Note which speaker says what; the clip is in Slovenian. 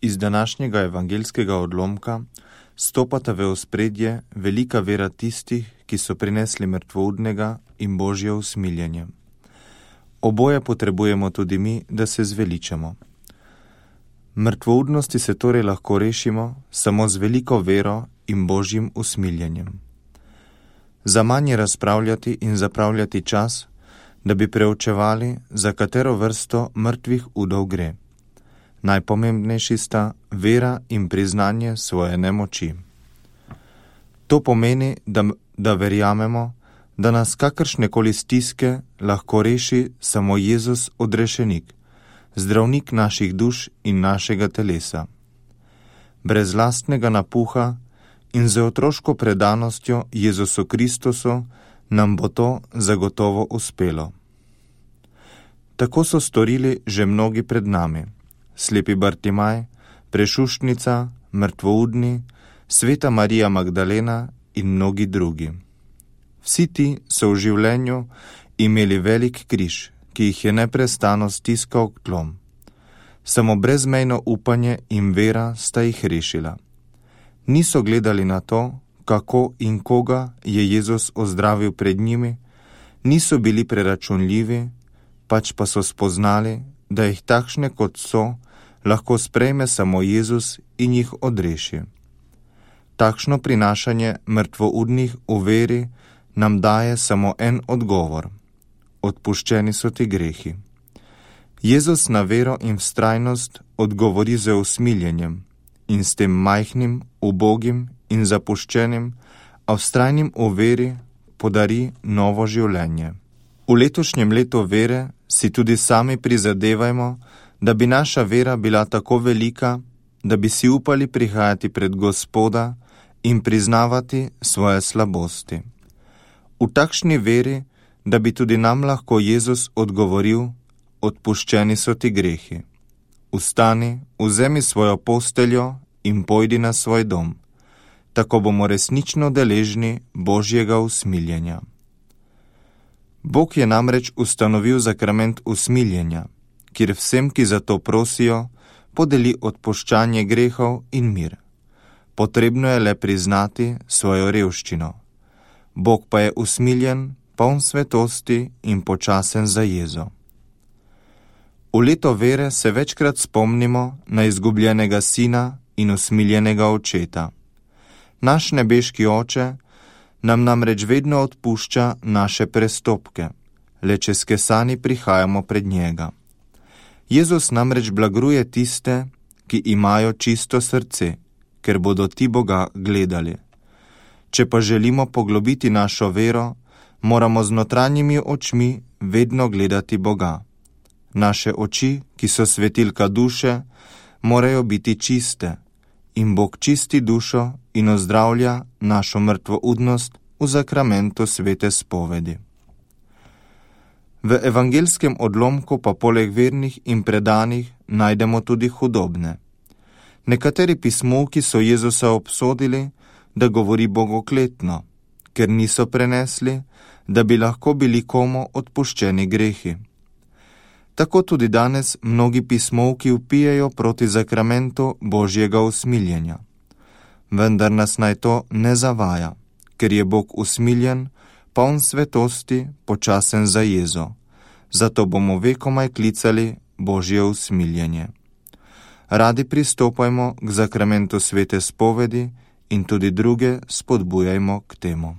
Speaker 1: Iz današnjega evangelskega odlomka stopata v ospredje velika vera tistih, ki so prinesli mrtvoudnega in Božje usmiljenje. Oboje potrebujemo tudi mi, da se zveličamo. Mrtvoudnosti se torej lahko rešimo samo z veliko vero in Božjim usmiljenjem. Za manj je razpravljati in zapravljati čas, da bi preučevali, za katero vrsto mrtvih udov gre. Najpomembnejši sta vera in priznanje svoje nemoči. To pomeni, da verjamemo, da nas kakršnekoli stiske lahko reši samo Jezus odrešenik, zdravnik naših duš in našega telesa. Brez lastnega napuha in z otroško predanostjo Jezusu Kristusu nam bo to zagotovo uspelo. Tako so storili že mnogi pred nami. Slepi Bartimaj, Prešuštnica, mrtvoudni, sveta Marija Magdalena in mnogi drugi. Vsi ti so v življenju imeli velik križ, ki jih je neprestano stiskal k tlom. Samo brezmejno upanje in vera sta jih rešila. Niso gledali na to, kako in koga je Jezus ozdravil pred njimi, niso bili preračunljivi, pač pa so spoznali, da jih takšne kot so, lahko sprejme samo Jezus in jih odreši. Takšno prinašanje mrtvoudnih v veri nam daje samo en odgovor. Odpuščeni so ti grehi. Jezus na vero in vztrajnost odgovori z usmiljenjem in s tem majhnim, ubogim in zapuščenim, a vztrajnim v veri podari novo življenje. V letošnjem letu vere si tudi sami prizadevajmo, da bi naša vera bila tako velika, da bi si upali prihajati pred Gospoda in priznavati svoje slabosti. V takšni veri, da bi tudi nam lahko Jezus odgovoril, odpuščeni so ti grehi. Vstani, vzemi svojo posteljo in pojdi na svoj dom. Tako bomo resnično deležni Božjega usmiljenja. Bog je namreč ustanovil sakrament usmiljenja, kjer vsem, ki za to prosijo, podeli odpuščanje grehov in mir. Potrebno je le priznati svojo revščino. Bog pa je usmiljen, poln svetosti in počasen za jezo. V leto vere se večkrat spomnimo na izgubljenega sina in usmiljenega očeta. Naš nebeški oče nam namreč vedno odpušča naše prestopke, le če skesani prihajamo pred njega. Jezus namreč blagruje tiste, ki imajo čisto srce, ker bodo ti Boga gledali. Če pa želimo poglobiti našo vero, moramo z notranjimi očmi vedno gledati Boga. Naše oči, ki so svetilka duše, morajo biti čiste in Bog čisti dušo in ozdravlja našo mrtvoudnost v sakramentu svete spovedi. V evangelskem odlomku pa poleg vernih in predanih najdemo tudi hudobne. Nekateri pismovki so Jezusa obsodili, da govori bogokletno, ker niso prenesli, da bi lahko bili komu odpuščeni grehi. Tako tudi danes mnogi pismovki vpijejo proti sakramentu Božjega usmiljenja. Vendar nas naj to ne zavaja, ker je Bog usmiljen, poln svetosti, počasen za jezo. Zato bomo vekomaj klicali Božje usmiljenje. Radi pristopajmo k sakramentu svete spovedi in tudi druge spodbujajmo k temu.